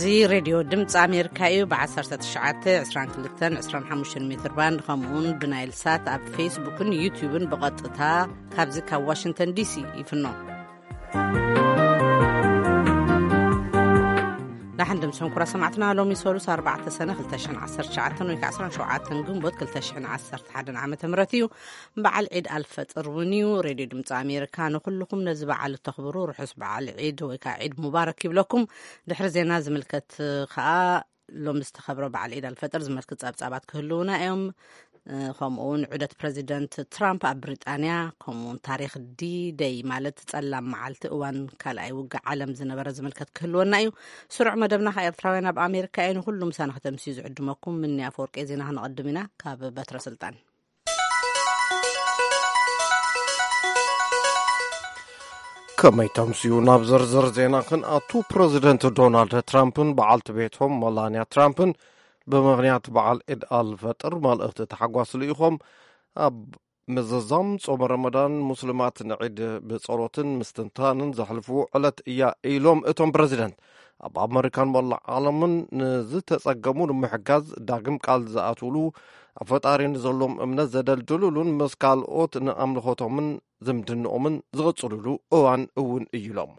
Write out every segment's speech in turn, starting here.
እዚ ሬድዮ ድምፂ ኣሜሪካ እዩ። ብ19፣ 22፣ 25 ሜትር ባንድ፣ ከምኡውን ብናይል ሳት ኣብ ፌስቡክን ዩቲዩብን ብቐጥታ ካብዚ ካብ ዋሽንግተን ዲሲ ይፍኖ። ዳሕን ድምፅኹም ኩራ ሰማዕትና። ሎሚ ሰሉስ ኣርባዕተ ሰነ ክልተ ሽሕን ዓሰርተ ትሽዓተን ወይ ከዓ ዓሰርተ ሸውዓተ ግንቦት ክልተ ሽሕን ዓሰርተ ሓደን ዓመተ ምህረት እዩ። በዓል ዒድ ኣልፈጥር እውን እዩ። ሬድዮ ድምፂ ኣሜሪካ ንኩልኩም ነዚ በዓል እተኽብሩ ርሑስ በዓል ዒድ ወይ ከዓ ዒድ ሙባረክ ይብለኩም። ድሕሪ ዜና ዝምልከት ከዓ ሎሚ ዝተኸብረ በዓል ዒድ ኣልፈጥር ዝመልክት ጸብጻባት ክህልውና እዮም። እ፣ ከምኡ እውን ዑደት ፕረዚደንት ትራምፕ ኣብ ብሪጣንያ፣ ከምኡ እውን ታሪኽ ዲ ደይ ማለት ጸላም መዓልቲ እዋን ካልኣይ ውግእ ዓለም ዝነበረ ዝምልከት ክህልወና እዩ። ስሩዕ መደብና ካብ ኤርትራውያን ኣብ ኣሜሪካ እዩ። ንኹሉ ምሳና ከተምስዩ ዝዕድመኩም ምኒ ኣፈወርቂ። ዜና ክነቐድም ኢና ካብ በትረ ስልጣን። ከመይ ተምስዩ ናብ ዝርዝር ዜና ክንኣቱ፣ ፕረዚደንት ዶናልድ ትራምፕን በዓልቲ ቤቶም መላንያ ትራምፕን ብምኽንያት በዓል ዒድ ኣልፈጥር መልእኽቲ ተሓጓስ ልኢኾም። ኣብ ምዝዛም ጾመ ረመዳን፣ ሙስሊማት ንዒድ ብጸሎትን ምስትንታንን ዘሕልፍዎ ዕለት እያ ኢሎም እቶም ፕረዚደንት። ኣብ ኣመሪካን መላእ ዓለምን ንዝተጸገሙ ንምሕጋዝ ዳግም ቃል ዝኣትውሉ፣ ኣብ ፈጣሪ ንዘሎም እምነት ዘደልድሉሉን ምስ ካልኦት ንኣምልኾቶምን ዝምድንኦምን ዝቕጽሉሉ እዋን እውን እዩ ኢሎም።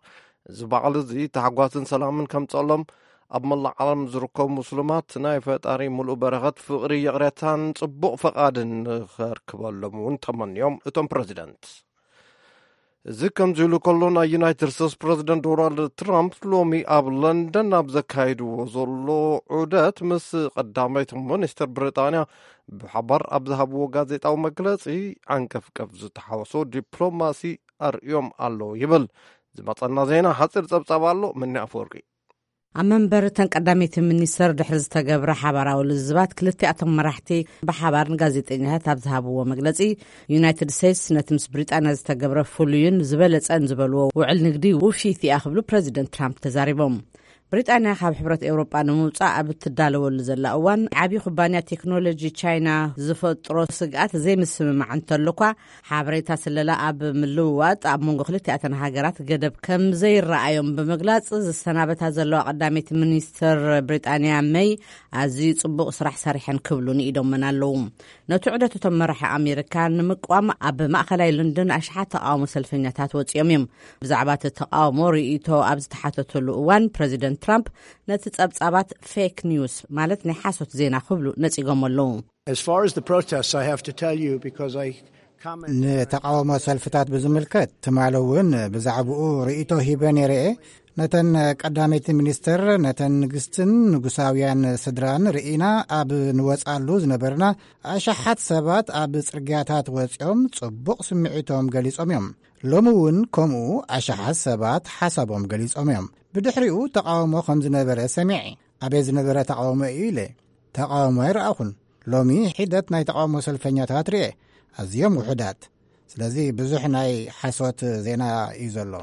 እዚ በዓል እዚ ታሕጓስን ሰላምን ከምጸሎም ኣብ መላእ ዓለም ዝርከቡ ሙስሉማት ናይ ፈጣሪ ምሉእ በረኸት፣ ፍቕሪ፣ ይቕሬታን ጽቡቕ ፈቓድን ንኸርክበሎም እውን ተመንዮም እቶም ፕረዚደንት። እዚ ከምዚ ኢሉ ከሎ፣ ናይ ዩናይትድ ስቴትስ ፕረዚደንት ዶናልድ ትራምፕ ሎሚ ኣብ ለንደን ኣብ ዘካይድዎ ዘሎ ዑደት ምስ ቀዳመይቲ ሚኒስትር ብሪጣንያ ብሓባር ኣብ ዝሃብዎ ጋዜጣዊ መግለጺ፣ ዓንቀፍቀፍ ዝተሓወሶ ዲፕሎማሲ ኣርእዮም ኣለዉ ይብል። ዝመጸና ዜና ሓጺር ጸብጻብ ኣሎ። ምኒ ኣፈወርቂ። ኣብ መንበር እተን ቀዳመይቲ ሚኒስተር ድሕሪ ዝተገብረ ሓባራዊ ልዝባት፣ ክልቲኣቶም መራሕቲ ብሓባር ንጋዜጠኛታት ኣብ ዝሃብዎ መግለጺ፣ ዩናይትድ ስቴትስ ነቲ ምስ ብሪጣንያ ዝተገብረ ፍሉይን ዝበለጸን ዝበልዎ ውዕል ንግዲ ውፍይቲ እያ ክብሉ ፕረዚደንት ትራምፕ ተዛሪቦም። ብሪጣንያ ካብ ሕብረት ኤውሮጳ ንምውጻእ ኣብ እትዳለወሉ ዘላ እዋን፣ ዓብዪ ኩባንያ ቴክኖሎጂ ቻይና ዝፈጥሮ ስግኣት ዘይምስምማዕ እንተሎኳ፣ ሓበሬታ ስለላ ኣብ ምልውዋጥ ኣብ መንጎ ክልቲኣተን ሃገራት ገደብ ከም ዘይረኣዮም ብምግላጽ፣ ዝሰናበታ ዘለዋ ቀዳመይቲ ሚኒስተር ብሪጣንያ መይ ኣዝዩ ጽቡቕ ስራሕ ሰሪሐን ክብሉ ንኢዶመን ኣለዉ። ነቲ ዑደት እቶም መራሒ ኣሜሪካ ንምቅዋም ኣብ ማእከላይ ለንደን ኣሽሓት ተቃውሞ ሰልፈኛታት ወጺኦም እዮም። ብዛዕባ እቲ ተቃውሞ ርእይቶ ኣብ ዝተሓተተሉ እዋን፣ ፕረዚደንት ትራምፕ ነቲ ጸብጻባት ፌክ ኒውስ፣ ማለት ናይ ሓሶት ዜና ክብሉ ነጺጎም ኣለዉ። As far as the protests, I have to tell you, because I comment ንተቃውሞ ሰልፍታት ብዝምልከት፣ ትማሊ እውን ብዛዕባኡ ርእይቶ ሂበ ነይረ እየ። ነተን ቀዳመይቲ ሚኒስትር፣ ነተን ንግስትን ንጉሳውያን ስድራን ርኢና ኣብ ንወጻሉ ዝነበርና፣ ኣሽሓት ሰባት ኣብ ጽርግያታት ወጺኦም ጽቡቕ ስምዒቶም ገሊጾም እዮም። ሎሚ እውን ከምኡ ኣሽሓት ሰባት ሓሳቦም ገሊጾም እዮም። ብድሕሪኡ ተቃውሞ ከም ዝነበረ ሰሚዐ። ኣበይ ዝነበረ ተቃውሞ እዩ ኢለ ተቃውሞ ኣይረኣኹን። ሎሚ ሒደት ናይ ተቃውሞ ሰልፈኛታት ርኤ፣ ኣዝዮም ውሑዳት። ስለዚ ብዙሕ ናይ ሓሶት ዜና እዩ ዘሎ።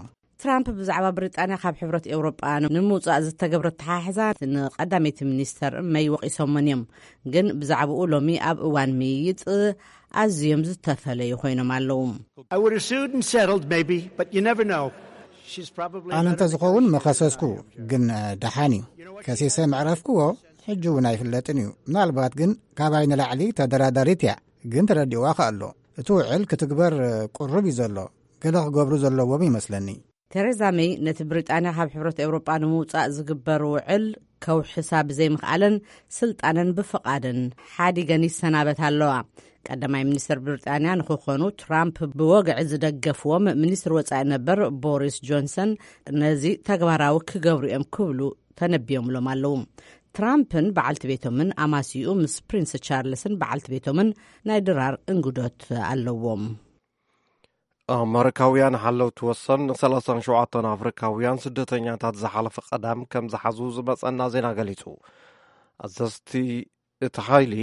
ትራምፕ ብዛዕባ ብሪጣንያ ካብ ሕብረት ኤውሮጳ ንምውጻእ ዝተገብረ ኣተሓሕዛ ንቀዳመይቲ ሚኒስተር መይ ወቒሶመን እዮም። ግን ብዛዕባኡ ሎሚ ኣብ እዋን ምይይጥ ኣዝዮም ዝተፈለዩ ኮይኖም ኣለዉ። I would have sued and settled, maybe, but you never know. She's probably ኣነ እንተዝኸውን መኸሰስኩ፣ ግን ደሓን እዩ። ከሲሰ መዕረፍክዎ፣ ሕጂ እውን ኣይፍለጥን እዩ። ምናልባት ግን ካባይ ንላዕሊ ተደራዳሪት እያ፣ ግን ተረዲእዋ ከ ኣሎ። እቲ ውዕል ክትግበር ቅሩብ እዩ ዘሎ። ገለ ክገብሩ ዘለዎም ይመስለኒ። ቴሬዛ መይ ነቲ ብሪጣንያ ካብ ሕብረት ኤውሮጳ ንምውጻእ ዝግበር ውዕል ከውሕሳ ብዘይምኽኣለን፣ ስልጣነን ብፍቓደን ሓዲገን ይሰናበታ ኣለዋ። ቀዳማይ ሚኒስትር ብሪጣንያ ንክኾኑ ትራምፕ ብወግዒ ዝደገፍዎም ሚኒስትር ወጻኢ ነበር ቦሪስ ጆንሰን ነዚ ተግባራዊ ክገብሩ እዮም ክብሉ ተነቢዮምሎም ኣለዉ። ትራምፕን በዓልቲ ቤቶምን ኣማሲኡ ምስ ፕሪንስ ቻርልስን በዓልቲ ቤቶምን ናይ ድራር እንግዶት ኣለዎም። ኣመሪካውያን ሓለውቲ ወሰን ን37 ኣፍሪካውያን ስደተኛታት ዝሓለፈ ቀዳም ከም ዝሓዙ ዝመጸና ዜና ገሊጹ። ኣዘዝቲ እቲ ሓይሊ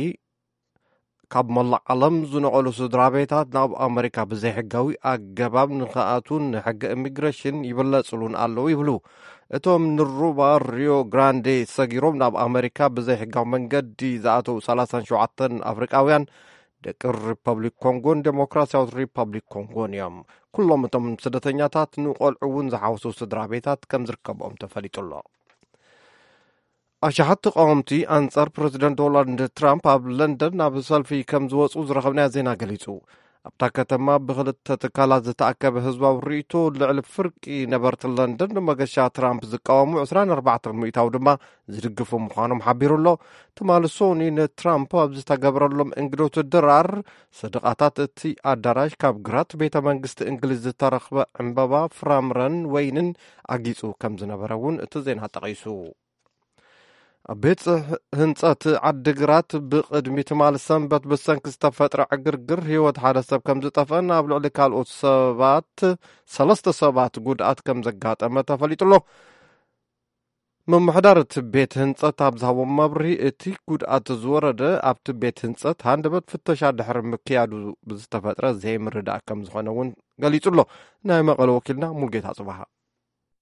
ካብ መላእ ዓለም ዝነቐሉ ስድራ ቤታት ናብ ኣመሪካ ብዘይሕጋዊ ኣገባብ ንኽኣትዉን ንሕጊ ኢሚግሬሽን ይብለጽሉን ኣለዉ ይብሉ። እቶም ንሩባ ሪዮ ግራንዴ ሰጊሮም ናብ ኣመሪካ ብዘይሕጋዊ መንገዲ ዝኣተዉ 37 ኣፍሪቃውያን ደቂ ሪፐብሊክ ኮንጎን ዴሞክራሲያዊት ሪፐብሊክ ኮንጎን እዮም። ኩሎም እቶም ስደተኛታት ንቆልዑ እውን ዝሓወሱ ስድራ ቤታት ከም ዝርከብኦም ተፈሊጡ ኣሎ። ኣሽሓት ተቃወምቲ ኣንጻር ፕረዚደንት ዶናልድ ትራምፕ ኣብ ለንደን ናብ ሰልፊ ከም ዝወጹ ዝረኸብናዮ ዜና ገሊጹ። ኣብታ ከተማ ብኽልተ ትካላት ዝተኣከበ ህዝባዊ ርእይቶ፣ ልዕሊ ፍርቂ ነበርቲ ለንደን ንመገሻ ትራምፕ ዝቃወሙ ዕስራን ኣርባዕተን ሚእታዊ ድማ ዝድግፉ ምዃኖም ሓቢሩ ኣሎ። ትማሊ ሶኒ ንትራምፕ ኣብ ዝተገብረሎም እንግዶት ድራር፣ ሰደቓታት እቲ ኣዳራሽ ካብ ግራት ቤተ መንግስቲ እንግሊዝ ዝተረኽበ ዕምበባ፣ ፍራምረን ወይንን ኣጊጹ ከም ዝነበረ እውን እቲ ዜና ጠቒሱ። ኣብ ቤት ጽሕ-፣ ህንጸት ዓዲግራት ብቕድሚ ትማሊ ሰንበት ብሰንኪ ዝተፈጥረ ዕግርግር ህይወት ሓደ ሰብ ከም ዝጠፍአን ኣብ ልዕሊ ካልኦት ሰባት፣ ሰለስተ ሰባት ጉድኣት ከም ዘጋጠመ ተፈሊጡ ኣሎ። ምምሕዳር እቲ ቤት ህንጸት ኣብ ዝሃቦ መብርሂ፣ እቲ ጉድኣት ዝወረደ ኣብቲ ቤት ህንጸት ሃንደበት ፍተሻ ድሕሪ ምክያዱ ብዝተፈጥረ ዘይምርዳእ ከም ዝኾነ እውን ገሊጹ ኣሎ። ናይ መቐለ ወኪልና ሙልጌታ ጽባሃ።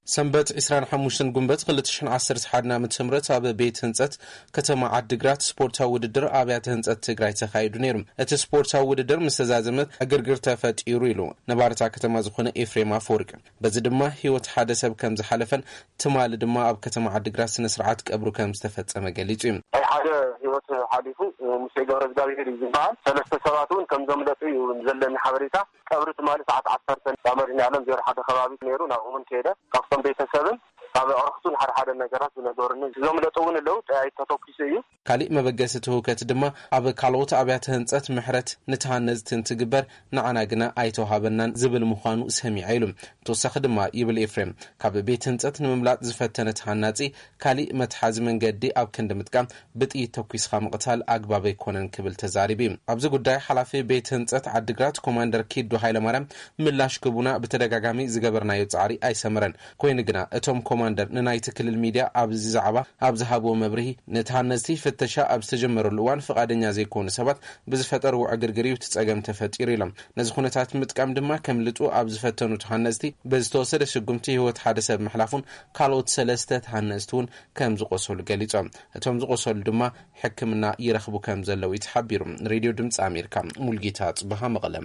ሰንበት ዕስራን ሓሙሽተን ጉንበት ክልተ ሽሕን ዓሰርተ ሓደን ዓመተ ምህረት ኣብ ቤት ህንጸት ከተማ ዓዲግራት ስፖርታዊ ውድድር ኣብያተ ህንጸት ትግራይ ተኻይዱ ነይሩ። እቲ ስፖርታዊ ውድድር ምስ ተዛዘመ ዕግርግር ተፈጢሩ ኢሉ ነባሪ እታ ከተማ ዝኾነ ኤፍሬም ኣፈወርቂ። በዚ ድማ ህይወት ሓደ ሰብ ከም ዝሓለፈን ትማሊ ድማ ኣብ ከተማ ዓዲግራት ስነ ስርዓት ቀብሩ ከም ዝተፈጸመ ገሊጹ እዩ። ናይ ሓደ ህይወት ሓሊፉ፣ ሙሴ ገብረ እግዚኣብሔር እዩ ዝበሃል። ሰለስተ ሰባት እውን ከም ዘምለጡ እዩ ዘለኒ ሓበሬታ። ቀብሪ ትማሊ ሰዓት ዓሰርተ ኣብ መድኃኔዓለም ዜሮ ሓደ ከባቢ ነይሩ። ናብኡ እውን ከይደ፣ ካብቶም ቤተሰብን ካብ ኣዕሩኽቱን ሓደ ሓደ ነገራት ዝነገሩኒ። ዘምለጡ እውን ኣለዉ። ጠያይት ተተኩሱ እዩ። ካሊእ መበገሲ እቲ ህውከት ድማ ኣብ ካልኦት ኣብያተ ህንጸት ምሕረት ንተሃነዝቲ እንትግበር ንዓና ግና ኣይተዋሃበናን ዝብል ምዃኑ ሰሚዐ ኢሉ። ተወሳኺ ድማ ይብል ኤፍሬም፣ ካብ ቤት ህንጸት ንምምላጥ ዝፈተነ ተሃናጺ ካሊእ መትሓዚ መንገዲ ኣብ ክንዲ ምጥቃም ብጥይት ተኲስኻ ምቕታል ኣግባብ ኣይኮነን ክብል ተዛሪቡ እዩ። ኣብዚ ጉዳይ ሓላፊ ቤት ህንጸት ዓዲግራት ኮማንደር ኪዱ ሃይለማርያም ምላሽ ክቡና ብተደጋጋሚ ዝገበርናዮ ጻዕሪ ኣይሰመረን። ኮይኑ ግና እቶም ኮማንደር ንናይቲ ክልል ሚድያ ኣብዚ ዛዕባ ኣብ ዝሃብዎ መብርሂ፣ ነቲ ሃነፅቲ ፍተሻ ኣብ ዝተጀመረሉ እዋን ፍቓደኛ ዘይኮኑ ሰባት ብዝፈጠርዎ ዕግርግር እዩ እቲ ጸገም ተፈጢሩ ኢሎም። ነዚ ኩነታት ምጥቃም ድማ ከምልጡ ኣብ ዝፈተኑ ተሃነፅቲ ብዝተወሰደ ስጉምቲ ህይወት ሓደ ሰብ ምሕላፉን ካልኦት ሰለስተ ተሃነፅቲ እውን ከም ዝቆሰሉ ገሊጾም። እቶም ዝቆሰሉ ድማ ሕክምና ይረኽቡ ከም ዘለዉ እዩ ተሓቢሩ። ሬድዮ ድምፂ ኣሜሪካ፣ ሙልጌታ ጽበሃ፣ መቐለ።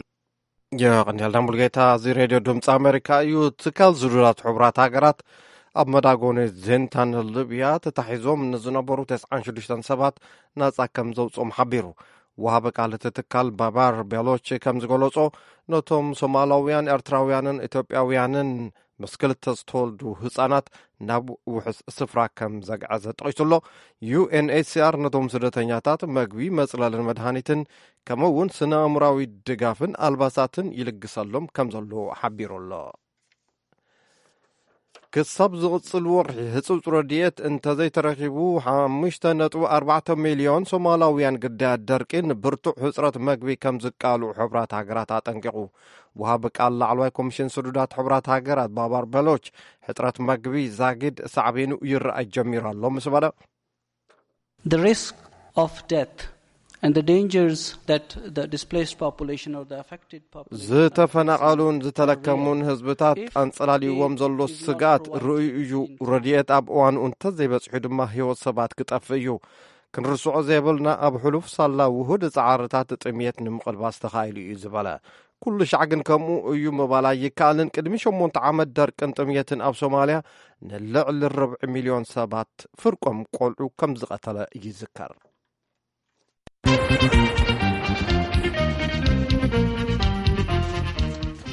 የቐንየልና ሙልጌታ። እዚ ሬድዮ ድምፂ ኣሜሪካ እዩ። ትካል ዝዱራት ሕቡራት ሃገራት ኣብ መዳጎኒ ዜንታን ሊብያ ተታሒዞም ንዝነበሩ ተስዓን ሽዱሽተን ሰባት ናጻ ከም ዘውፅኦም ሓቢሩ። ወሃቢ ቃል እቲ ትካል ባባር ቤሎች ከም ዝገለጾ፣ ነቶም ሶማላውያን፣ ኤርትራውያንን ኢትዮጵያውያንን ምስ ክልተ ዝተወልዱ ህጻናት ናብ ውሑስ ስፍራ ከም ዘግዐዘ ጠቒሱ ኣሎ። ዩ ኤን ኤች ሲ ኣር ነቶም ስደተኛታት መግቢ፣ መጽለልን መድሃኒትን፣ ከምኡ እውን ስነ ኣእምራዊ ድጋፍን ኣልባሳትን ይልግሰሎም ከም ዘሎ ሓቢሩ ኣሎ። ክሳብ ዝቕጽል ወርሒ ህጹጽ ረድኤት እንተዘይተረኺቡ፣ ሓሙሽተ ነጥቢ ኣርባዕተ ሚልዮን ሶማላውያን ግዳያት ደርቂ ንብርቱዕ ሕጽረት መግቢ ከም ዝቃልዑ ሕቡራት ሃገራት ኣጠንቂቑ። ወሃቢ ቃል ላዕለዋይ ኮሚሽን ስዱዳት ሕቡራት ሃገራት ባባር በሎች፣ ሕጽረት መግቢ ዛጊድ ሳዕቤኑ ይረኣይ ጀሚሩ ኣሎ ምስ በለ፣ The risk of death and the dangers that the displaced population or the affected population are ዝተፈናቐሉን facing ዝተለከሙን ህዝብታት ኣንጸላልይዎም ዘሎ ስጋት ርእዩ እዩ። ረድኤት ኣብ እዋኑ እንተዘይበጽሑ ድማ ህይወት ሰባት ክጠፍእ እዩ። ክንርስዖ ዘይብልና፣ ኣብ ሕሉፍ ሳላ ውሁድ ጻዕርታት ጥምየት ንምቕልባስ ተኻኢሉ እዩ ዝበለ። ኩሉ ሻዕ ግን ከምኡ እዩ ምባል ኣይከኣልን። ቅድሚ ሸሞንተ ዓመት ደርቅን ጥምየትን ኣብ ሶማልያ ንልዕሊ ርብዒ ሚልዮን ሰባት፣ ፍርቆም ቆልዑ፣ ከም ዝቐተለ ይዝከር።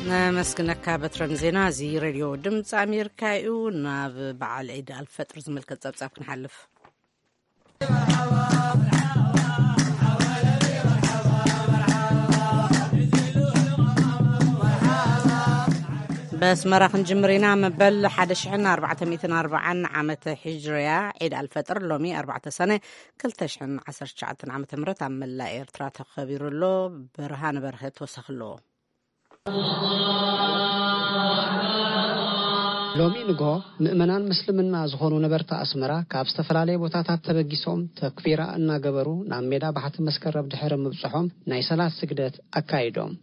ነመስግነካ በትረን ዜና። እዚ ሬድዮ ድምፂ ኣሜሪካ እዩ። ናብ በዓል ዒድ ኣልፈጥር ዝምልከት ጸብጻብ ክንሓልፍ። በስመራ ክንጅምር ኢና። መበል ሓደ ሽሕን ኣርባዕተ ሚእትን ኣርባዓን ዓመተ ሂጅርያ ዒድ ኣልፈጥር ሎሚ ኣርባዕተ ሰነ ክልተ ሽሕን ዓሰርተ ትሽዓተን ዓመተ ምህረት ኣብ መላእ ኤርትራ ተኸቢሩ ኣሎ። ብርሃን በርሀ ተወሳኺ ኣለዎ። ሎሚ ንግሆ ምእመናን ምስልምና ዝኾኑ ነበርቲ ኣስመራ ካብ ዝተፈላለየ ቦታታት ተበጊሶም ተክቢራ እናገበሩ ናብ ሜዳ ባሕቲ መስከረም ድሕሪ ምብጽሖም ናይ ሰላት ስግደት ኣካይዶም።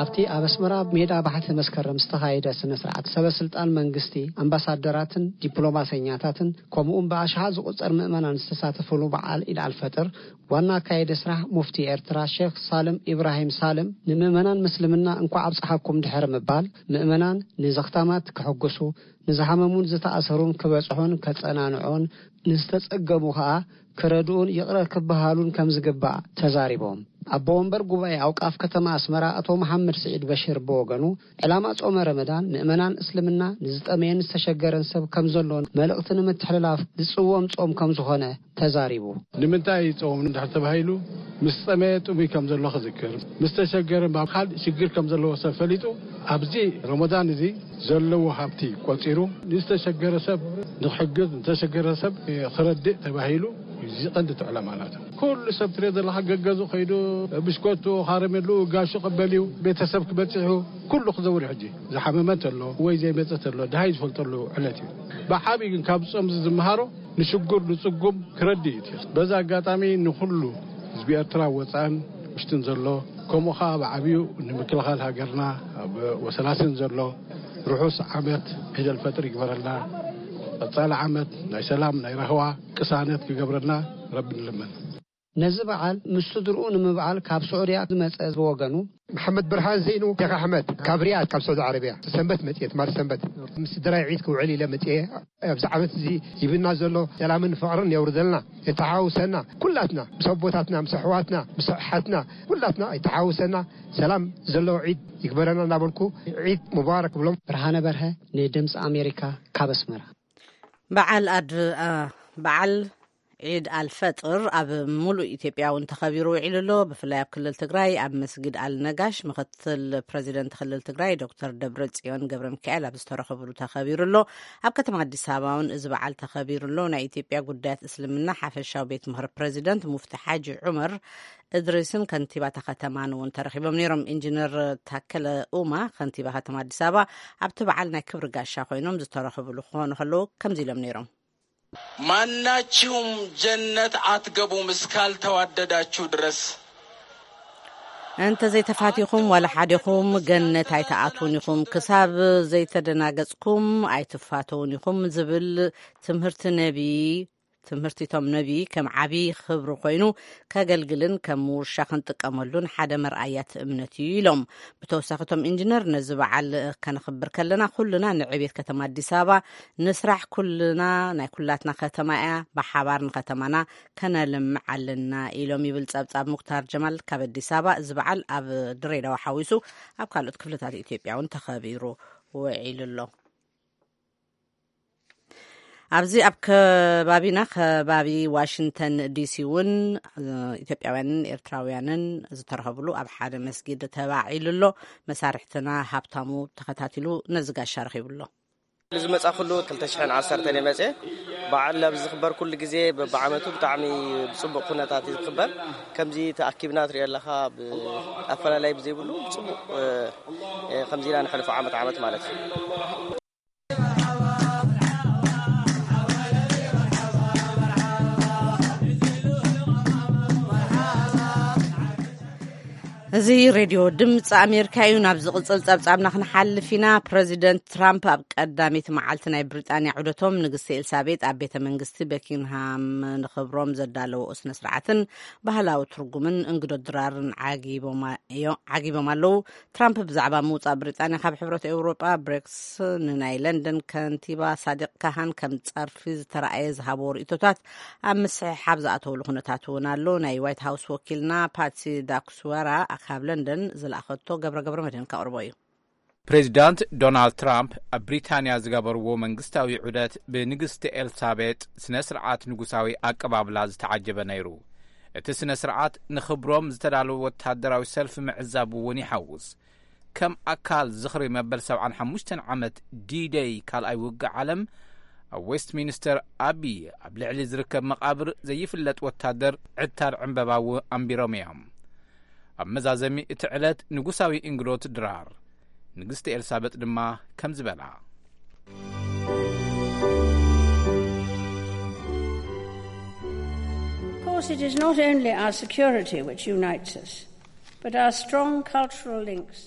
ኣብቲ ኣብ ኣስመራ ሜዳ ባሕቲ መስከረም ዝተኻየደ ስነ ስርዓት ሰበ ስልጣን መንግስቲ፣ ኣምባሳደራትን ዲፕሎማሰኛታትን ከምኡውን ብኣሽሓት ዝቑጸር ምእመናን ዝተሳተፍሉ በዓል ኢድ ኣልፈጥር ዋና ኣካየዲ ስራሕ ሙፍቲ ኤርትራ ሼክ ሳልም ኢብራሂም ሳልም ንምእመናን ምስልምና እንኳዕ ኣብጽሓኩም ድሕሪ ምባል፣ ምእመናን ንዘኽታማት ክሕጉሱ፣ ንዝሓመሙን ዝተኣሰሩን ክበጽሑን ከጸናንዑን፣ ንዝተጸገሙ ከኣ ክረድኡን ይቕረ ክበሃሉን ከም ዝግባእ ተዛሪቦም። ኣቦ ወንበር ጉባኤ ኣውቃፍ ከተማ ኣስመራ ኣቶ መሓመድ ስዒድ በሽር ብወገኑ፣ ዕላማ ጾመ ረመዳን ምእመናን እስልምና ንዝጠመየን ዝተሸገረን ሰብ ከም ዘሎን መልእኽቲ ንምትሕልላፍ ዝጽወም ጾም ከም ዝኾነ ተዛሪቡ። ንምንታይ ጾም እንድሕር ተባሂሉ፣ ምስ ጸመየ ጥሙይ ከም ዘሎ ክዝክር፣ ምስ ተሸገረ ካብ ካልእ ሽግር ከም ዘለዎ ሰብ ፈሊጡ፣ ኣብዚ ረመዳን እዚ ዘለዎ ሃብቲ ቆጺሩ ንዝተሸገረ ሰብ ንክሕግዝ፣ ንተሸገረ ሰብ ክረድእ ተባሂሉ እዚ ቀንዲ እቲ ዕላማ ናቱ። ኩሉ ሰብ ትሪኦ ዘለኻ ገገዙ ከይዱ ብሽኮቱ፣ ካረሜሉ፣ ጋሹ ቀበል እዩ፣ ቤተሰብ ክበጽሑ ኩሉ ክዘውር እዩ። ሕጂ ዝሓመመ እንተሎ ወይ ዘይመጸ እንተሎ ድሃይ ዝፈልጠሉ ዕለት እዩ። ብዓብዪ ግን ካብ ጾም እዚ ዝመሃሮ ንሽጉር ንጽጉም ክረድእ እዩ። በዛ ኣጋጣሚ ንኹሉ ህዝቢ ኤርትራ ወጻእን ውሽጥን ዘሎ፣ ከምኡ ኸኣ ብዓብዩ ንምክልኻል ሃገርና ኣብ ወሰላስን ዘሎ ርሑስ ዓመት ዒድ ኣልፈጥር ይግበረልና። ቀጻሊ ዓመት ናይ ሰላም፣ ናይ ራህዋ፣ ቅሳነት ክገብረልና ረቢ ንልመን። ነዚ በዓል ምስ ስድርኡ ንምብዓል ካብ ስዑድያ ዝመጸ ብወገኑ፣ መሓመድ ብርሃን ዘይኑ ሼክ ኣሕመድ ካብ ሪያድ፣ ካብ ሳዑዲ ዓረብያ፣ ሰንበት መጽኤ፣ ትማሊ ሰንበት ምስ ስድራይ ዒድ ክውዕል ኢለ መጽኤ። ኣብዚ ዓመት እዚ ሂብና ዘሎ ሰላምን ፍቕርን የውርደልና፣ የተሓውሰና፣ ኩላትና ምስ ኣቦታትና፣ ምስ ኣሕዋትና፣ ምስ ኣሓትና፣ ኩላትና የተሓውሰና፣ ሰላም ዘለዎ ዒድ ይግበረና እናበልኩ ዒድ ሙባረክ ብሎም። ብርሃነ በርሀ ንድምፂ ኣሜሪካ ካብ ኣስመራ። በዓል ኣድ-፣ አ፣ በዓል ዒድ ኣልፈጥር ኣብ ሙሉእ ኢትዮጵያ እውን ተኸቢሩ ውዒሉ ኣሎ። ብፍላይ ኣብ ክልል ትግራይ ኣብ መስጊድ ኣልነጋሽ ምኽትል ፕረዚደንት ክልል ትግራይ ዶክተር ደብረጽዮን ገብረ ሚካኤል ኣብ ዝተረኸብሉ ተኸቢሩ ኣሎ። ኣብ ከተማ ኣዲስ ኣበባ እውን እዚ በዓል ተኸቢሩ ኣሎ። ናይ ኢትዮጵያ ጉዳያት እስልምና ሓፈሻዊ ቤት ምኽሪ ፕረዚደንት ሙፍቲ ሓጂ ዑመር እድሪስን ከንቲባታ ከተማን እውን ተረኺቦም ነይሮም። ኢንጂነር ታከለ ኡማ ከንቲባ ከተማ ኣዲስ ኣበባ ኣብቲ በዓል ናይ ክብሪ ጋሻ ኮይኖም ዝተረኸብሉ ክኾኑ ከለዉ ከምዚ ኢሎም ነይሮም። ማናችሁም ጀነት አትገቡም እስካልተዋደዳችሁ ድረስ። እንተ ዘይተፋቲኹም ዋላ ሓዲኹም ገነት ኣይትኣትዉን ኢኹም፣ ክሳብ ዘይተደናገጽኩም ኣይትፋተዉን ኢኹም ዝብል ትምህርቲ ነቢ፣ ትምህርቲቶም ነቢ ከም ዓቢ ክብሪ ኮይኑ ከገልግልን ከም ውርሻ ክንጥቀመሉን ሓደ መርኣያ እቲ እምነት እዩ ኢሎም። ብተወሳኺ እቶም ኢንጂነር ነዚ በዓል ከነኽብር ከለና ኩልና ንዕቤት ከተማ ኣዲስ ኣበባ ንስራሕ፣ ኩልና ናይ ኩላትና ከተማ እያ፣ ብሓባር ንከተማና ከነልምዕ ኣለና ኢሎም ይብል ጸብጻብ ሙክታር ጀማል ካብ ኣዲስ ኣበባ። እዚ በዓል ኣብ ድሬዳዋ ሓዊሱ ኣብ ካልኦት ክፍልታት ኢትዮጵያ እውን ተኸቢሩ ውዒሉ ኣሎ። ኣብዚ ኣብ ከባቢና ከባቢ ዋሽንግተን ዲሲ እውን ኢትዮጵያውያንን ኤርትራውያንን ዝተረኸብሉ ኣብ ሓደ መስጊድ ተባዒሉ ኣሎ። መሳርሕትና ሃብታሙ ተኸታቲሉ ነዚ ጋሻ ረኺቡ ኣሎ። ዝመጻኹሉ ክልተ ሽሕን ዓሰርተን እየ መጽየ። በዓል ኣብዚ ዝኽበር ኩሉ ግዜ በብዓመቱ ብጣዕሚ ብጽቡቕ ኩነታት እዩ ዝኽበር። ከምዚ ተኣኪብና ትሪኦ ኣለኻ፣ ብ-፣ ኣፈላላይ ብዘይብሉ ብጽቡቕ፣ እ፣ እ፣ ከምዚ ኢና ነሕልፎ ዓመት ዓመት ማለት እዩ። እዚ ሬድዮ ድምፂ ኣሜሪካ እዩ። ናብ ዝቕፅል ፀብፃብና ክንሓልፍ ኢና። ፕረዚደንት ትራምፕ ኣብ ቀዳመይቲ መዓልቲ ናይ ብሪጣንያ ዑደቶም ንግስቲ ኤልሳቤጥ ኣብ ቤተ መንግስቲ በኪንግሃም ንኽብሮም ዘዳለወኦ ስነ ስርዓትን ባህላዊ ትርጉምን እንግዶ ድራርን ዓጊቦማ-፣ ዓጊቦም ኣለዉ። ትራምፕ ብዛዕባ ምውጻእ ብሪጣንያ ካብ ሕብረት ኤውሮጳ፣ ብሬክስ፣ ንናይ ለንደን ከንቲባ ሳዲቅ ካሃን ከም ጸርፊ ዝተራእየ ዝሃብዎ ርእይቶታት ኣብ ምስሕሓብ ዝኣተውሉ ኩነታት እውን ኣሎ። ናይ ዋይት ሃውስ ወኪልና ፓትሲ ዳክስወራ ካብ ለንደን ዝለኣኸቶ ገብረ ገብረ መድህን ከቕርቦ እዩ። ፕሬዚዳንት ዶናልድ ትራምፕ ኣብ ብሪታንያ ዝገበርዎ መንግስታዊ ዑደት ብንግስቲ ኤልሳቤጥ ስነ ስርዓት ንጉሳዊ ኣቀባብላ ዝተዓጀበ ነይሩ። እቲ ስነ ስርዓት ንኽብሮም ዝተዳለወ ወታደራዊ ሰልፊ ምዕዛብ እውን ይሓውስ። ከም ኣካል ዝኽሪ መበል ሰብዓን ሓሙሽተን ዓመት ዲ-ደይ ካልኣይ ውግእ ዓለም፣ ኣብ ዌስትሚኒስተር ኣቢ ኣብ ልዕሊ ዝርከብ መቓብር ዘይፍለጥ ወታደር ዕታር ዕምበባ ኣንቢሮም እዮም። ኣብ መዛዘሚ እቲ ዕለት ንጉሳዊ እንግዶት ድራር፣ ንግስቲ ኤልሳበጥ ድማ ከምዚ በላ። Of course, it is not only our security which unites us, but our strong cultural links.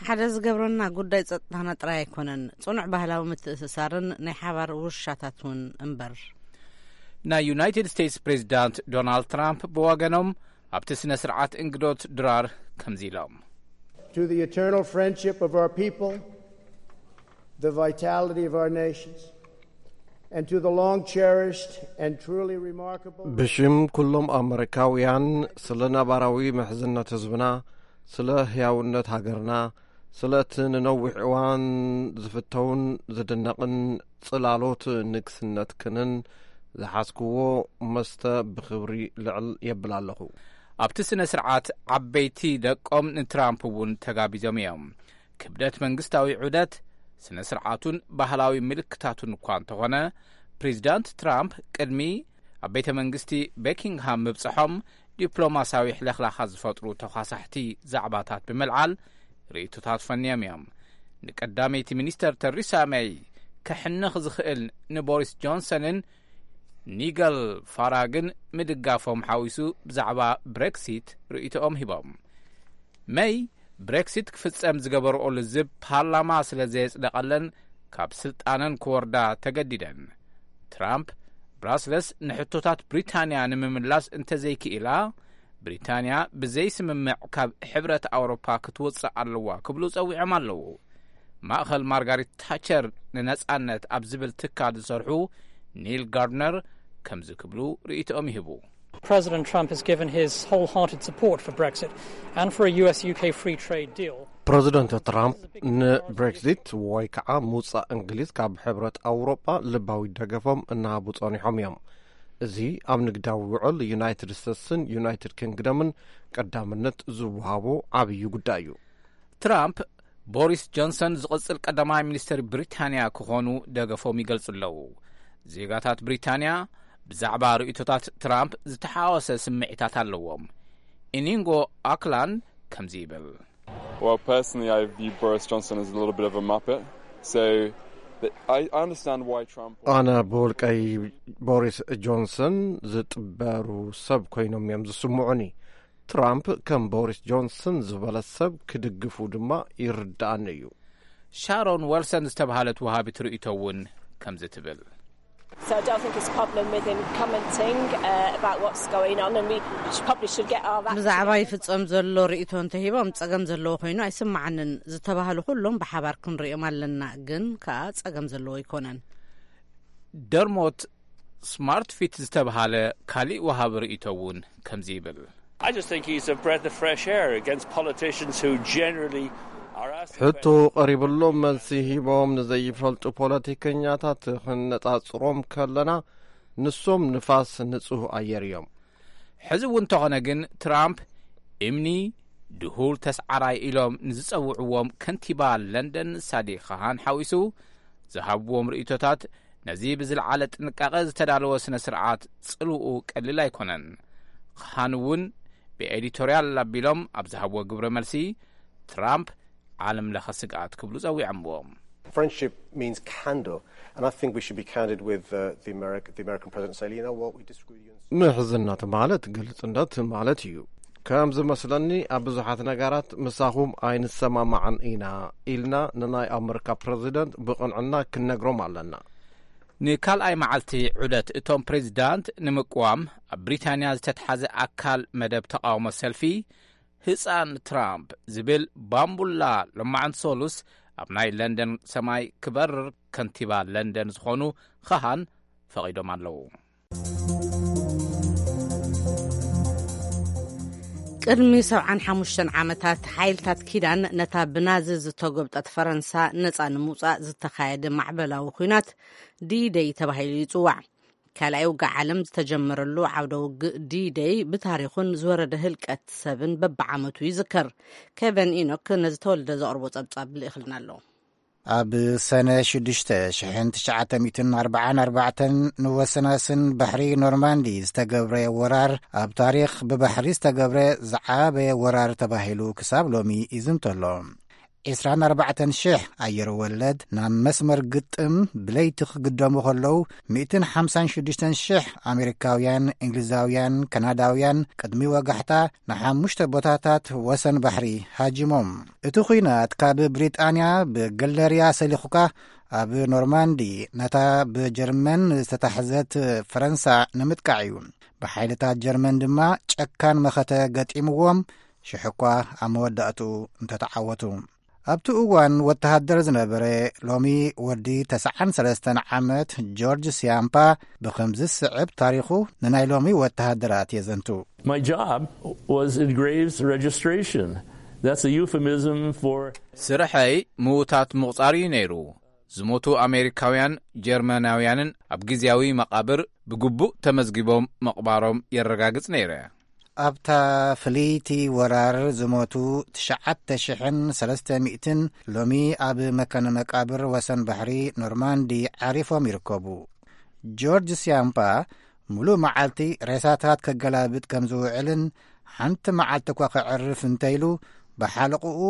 ሓደ ዝገብረና ጉዳይ ጸጥታና ጥራይ ኣይኮነን፣ ጽኑዕ ባህላዊ ምትእስሳርን ናይ ሓባር ውርሻታት እውን እምበር። ናይ ዩናይትድ ስቴትስ ፕሬዚዳንት ዶናልድ ትራምፕ ብወገኖም ኣብቲ ስነ ስርዓት እንግዶት ድራር ከምዚ ኢሎም። To the eternal friendship of our people, the vitality of our nations, and to the long cherished and truly remarkable ብሽም ኩሎም ኣመሪካውያን፣ ስለ ነባራዊ ምሕዝነት ህዝብና፣ ስለ ህያውነት ሃገርና፣ ስለ እቲ ንነዊሕ እዋን ዝፍተውን ዝድነቕን ጽላሎት ንግስነትክንን ዝሓዝክዎ መስተ ብኽብሪ ልዕል የብል ኣለኹ። ኣብቲ ስነ ስርዓት ዓበይቲ ደቆም ንትራምፕ እውን ተጋቢዞም እዮም። ክብደት መንግስታዊ ዑደት፣ ስነ ስርዓቱን ባህላዊ ምልክታቱን እኳ እንተኾነ፣ ፕሬዚዳንት ትራምፕ ቅድሚ ኣብ ቤተ መንግስቲ ቤኪንግሃም ምብጽሖም ዲፕሎማሲያዊ ሕለኽላኻት ዝፈጥሩ ተኳሳሕቲ ዛዕባታት ብምልዓል ርእይቶታት ፈንዮም እዮም። ንቀዳመይቲ ሚኒስተር ተሪሳ ሜይ ከሕንኽ ዝኽእል ንቦሪስ ጆንሰንን ኒገል ፋራግን ምድጋፎም ሓዊሱ ብዛዕባ ብሬክሲት ርእይቶኦም ሂቦም። መይ ብሬክሲት ክፍጸም ዝገበርኦ ልዝብ ፓርላማ ስለ ዘየጽደቐለን ካብ ስልጣነን ክወርዳ ተገዲደን። ትራምፕ ብራስለስ ንሕቶታት ብሪታንያ ንምምላስ እንተዘይክኢላ፣ ብሪታንያ ብዘይስምምዕ ካብ ሕብረት ኣውሮፓ ክትወጽእ ኣለዋ ክብሉ ጸዊዖም ኣለዉ። ማእኸል ማርጋሪት ታቸር ንነጻነት ኣብ ዝብል ትካል ዝሰርሑ ኒል ጋርድነር ከምዚ ክብሉ ርእይቶኦም ይህቡ። President Trump has given his wholehearted support for Brexit and for a U S U K free trade deal. ፕረዚደንት ትራምፕ ንብሬክዚት ወይ ከዓ ምውፃእ እንግሊዝ ካብ ሕብረት ኣውሮጳ ልባዊ ደገፎም እናሃቡ ጸኒሖም እዮም። እዚ ኣብ ንግዳዊ ውዕል ዩናይትድ ስቴትስን ዩናይትድ ኪንግደምን ቀዳምነት ዝወሃቦ ዓብዪ ጉዳይ እዩ። ትራምፕ ቦሪስ ጆንሰን ዝቕጽል ቀዳማይ ሚኒስትር ብሪታንያ ክኾኑ ደገፎም ይገልጹ ኣለዉ። ዜጋታት ብሪታንያ ብዛዕባ ርእይቶታት ትራምፕ ዝተሓዋወሰ ስምዒታት ኣለዎም። ኢኒንጎ ኣክላን ከምዚ ይብል። Well, personally, I view Boris Johnson as a little bit of a muppet. So, the, I, I understand why Trump. ኣነ ብውልቀይ ቦሪስ ጆንሰን ዝጥበሩ ሰብ ኮይኖም እዮም ዝስምዑኒ። ትራምፕ ከም ቦሪስ ጆንሰን ዝበለ ሰብ ክድግፉ ድማ ይርድኣኒ እዩ። ሻሮን ወልሰን ዝተባህለት ወሃቢት ርእይቶ እውን ከምዚ ትብል። So I don't think it's a problem with him commenting uh, about what's going on, and we should, probably should get our act ብዛዕባ ይፍጸም ዘሎ ርእይቶ እንተሂቦም ጸገም ዘለዎ ኮይኑ ኣይስምዓንን። ዝተባህሉ ኩሎም ብሓባር ክንርእዮም ኣለና፣ ግን ከኣ ጸገም ዘለዎ ኣይኮነን። ደርሞት ስማርት ፊት ዝተባሃለ ካሊእ ወሃቢ ርእይቶ እውን ከምዚ ይብል። I just think he's a breath of fresh air against politicians who generally are asked ሕቶ ቀሪብሎም መልሲ ሂቦም ንዘይፈልጡ ፖለቲከኛታት ክነጻጽሮም ከለና፣ ንሶም ንፋስ ንጹህ ኣየር እዮም። ሕዚ እውን እንተኾነ ግን ትራምፕ እምኒ ድሁል ተስዓራይ ኢሎም ንዝጸውዕዎም ከንቲባ ለንደን ሳዲቅ ካሃን ሓዊሱ ዝሃብዎም ርእይቶታት ነዚ ብዝለዓለ ጥንቃቐ ዝተዳለወ ስነ ስርዓት ጽልውኡ ቀሊል ኣይኮነን። ካሃን እውን ብኤዲቶርያል ኣቢሎም ኣብ ዝሃብዎ ግብረ መልሲ ትራምፕ ዓለም ለኸ ስግኣት ክብሉ ጸዊዖምዎ። Friendship means candor, and I think we should be candid with uh, the, America, the American president and say, you know what, we disagree with you. ምሕዝነት ማለት ግልጽነት ማለት እዩ። ከም ዝመስለኒ ኣብ ብዙሓት ነገራት ምሳኹም ኣይንሰማማዕን ኢና ኢልና ንናይ ኣመሪካ ፕረዚደንት ብቕንዕና ክንነግሮም ኣለና። ንካልኣይ መዓልቲ ዑደት እቶም ፕሬዚዳንት ንምቅዋም ኣብ ብሪታንያ ዝተትሓዘ ኣካል መደብ ተቃውሞ ሰልፊ ህጻን ትራምፕ ዝብል ባምቡላ ሎማዕንቲ ሰሉስ ኣብ ናይ ለንደን ሰማይ ክበርር ከንቲባ ለንደን ዝኾኑ ኻሃን ፈቒዶም ኣለዉ። ቅድሚ ሰብዓን ሓሙሽተን ዓመታት ሓይልታት ኪዳን ነታ ብናዚ ዝተጎብጠት ፈረንሳ ነጻ ንምውጻእ ዝተኻየደ ማዕበላዊ ኲናት ዲ ደይ ተባሂሉ ይጽዋዕ። ካልኣይ ውግእ ዓለም ዝተጀመረሉ ዓውደ ውግእ ዲ ደይ ብታሪኹን ዝወረደ ህልቀት ሰብን በብዓመቱ ይዝከር። ኬቨን ኢኖክ ነዚ ተወልደ ዘቕርቦ ጸብጻብ ልእኽልና ኣሎ። ኣብ ሰነ ሽዱሽተ ሽሕን ትሽዓተ ሚእትን ኣርባዓን ኣርባዕተን ንወሰናስን ባሕሪ ኖርማንዲ ዝተገብረ ወራር ኣብ ታሪኽ ብባሕሪ ዝተገብረ ዝዓበየ ወራር ተባሂሉ ክሳብ ሎሚ ይዝንተሎ። ዕስራን ኣርባዕተን ሽሕ ኣየር ወለድ ናብ መስመር ግጥም ብለይቲ ክግደሙ ከለዉ፣ ሚእትን ሓምሳን ሽዱሽተን ሽሕ ኣሜሪካውያን፣ እንግሊዛውያን፣ ካናዳውያን ቅድሚ ወጋሕታ ንሓሙሽተ ቦታታት ወሰን ባሕሪ ሃጂሞም። እቲ ኲናት ካብ ብሪጣንያ ብገለርያ ሰሊኹካ ኣብ ኖርማንዲ፣ ነታ ብጀርመን ዝተታሕዘት ፈረንሳ ንምጥቃዕ እዩ። ብሓይልታት ጀርመን ድማ ጨካን መኸተ ገጢምዎም፣ ሽሕ እኳ ኣብ መወዳእትኡ እንተተዓወቱ። ኣብቲ እዋን ወተሃደር ዝነበረ፣ ሎሚ ወዲ ተስዓን ሰለስተን ዓመት ጆርጅ ሲያምፓ ብኸምዚ ዝስዕብ ታሪኹ ንናይ ሎሚ ወተሃደራት የዘንቱ። My job was in graves registration. That's a euphemism for ስርሐይ ምዉታት ምቑጻር እዩ ነይሩ። ዝሞቱ ኣሜሪካውያን፣ ጀርመናውያንን ኣብ ግዝያዊ መቓብር ብግቡእ ተመዝጊቦም ምቕባሮም የረጋግጽ ነይረ። ኣብታ ፍልይቲ ወራር ዝሞቱ ትሽዓተ ሽሕን ሰለስተ ሚእትን ሎሚ ኣብ መካነ መቃብር ወሰን ባሕሪ ኖርማንዲ ዓሪፎም ይርከቡ። ጆርጅ ሲያምፓ ሙሉእ መዓልቲ ሬሳታት ከገላብጥ ከም ዝውዕልን፣ ሓንቲ መዓልቲ እኳ ከዕርፍ እንተኢሉ ብሓለቕኡ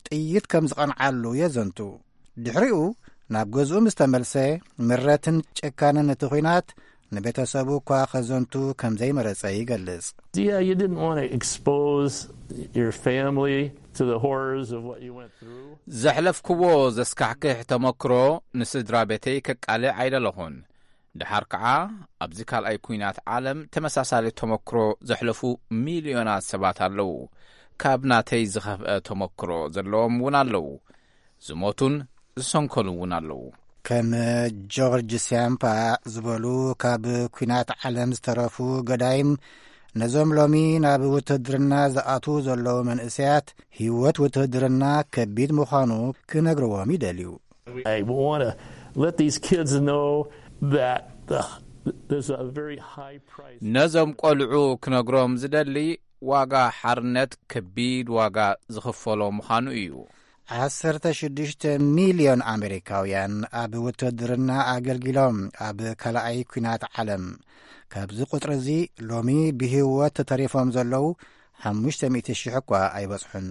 ጥይት ከም ዝቐንዓሉ የዘንቱ። ድሕሪኡ ናብ ገዝኡ ምስ ተመልሰ፣ ምረትን ጭካነን እቲ ኲናት ንቤተሰቡ እኳ ከዘንቱ ከም ዘይመረጸ ይገልጽ። Yeah, you didn't want to expose your family to the horrors of what you went through. ዘሕለፍክዎ ዘስካሕክሕ ተመክሮ ንስድራ ቤተይ ከቃልዕ ኣይደለኹን። ደሓር ከኣ ኣብዚ ካልኣይ ኲናት ዓለም ተመሳሳሊ ተመክሮ ዘሕለፉ ሚልዮናት ሰባት ኣለዉ። ካብ ናተይ ዝኸፍአ ተመክሮ ዘለዎም እውን ኣለዉ። ዝሞቱን ዝሰንከሉ እውን ኣለዉ። ከም ጆርጅ ሲያምፓ ዝበሉ ካብ ኲናት ዓለም ዝተረፉ ገዳይም፣ ነዞም ሎሚ ናብ ውትድርና ዝኣትዉ ዘለዉ መንእሰያት፣ ህይወት ውትድርና ከቢድ ምዃኑ ክነግርዎም ይደልዩ። I want to let these kids know that uh, there's a very high price. ነዞም ቆልዑ ክነግሮም ዝደሊ፣ ዋጋ ሓርነት ከቢድ ዋጋ ዝኽፈሎ ምዃኑ እዩ። ዓሰርተ ሽዱሽተ ሚልዮን ኣሜሪካውያን ኣብ ውትድርና ኣገልጊሎም ኣብ ካልኣይ ኲናት ዓለም። ካብዚ ቁጽሪ እዚ ሎሚ ብህይወት ተተሪፎም ዘለዉ ሓሙሽተ ሚእቲ ሽሕ እኳ ኣይበጽሑን።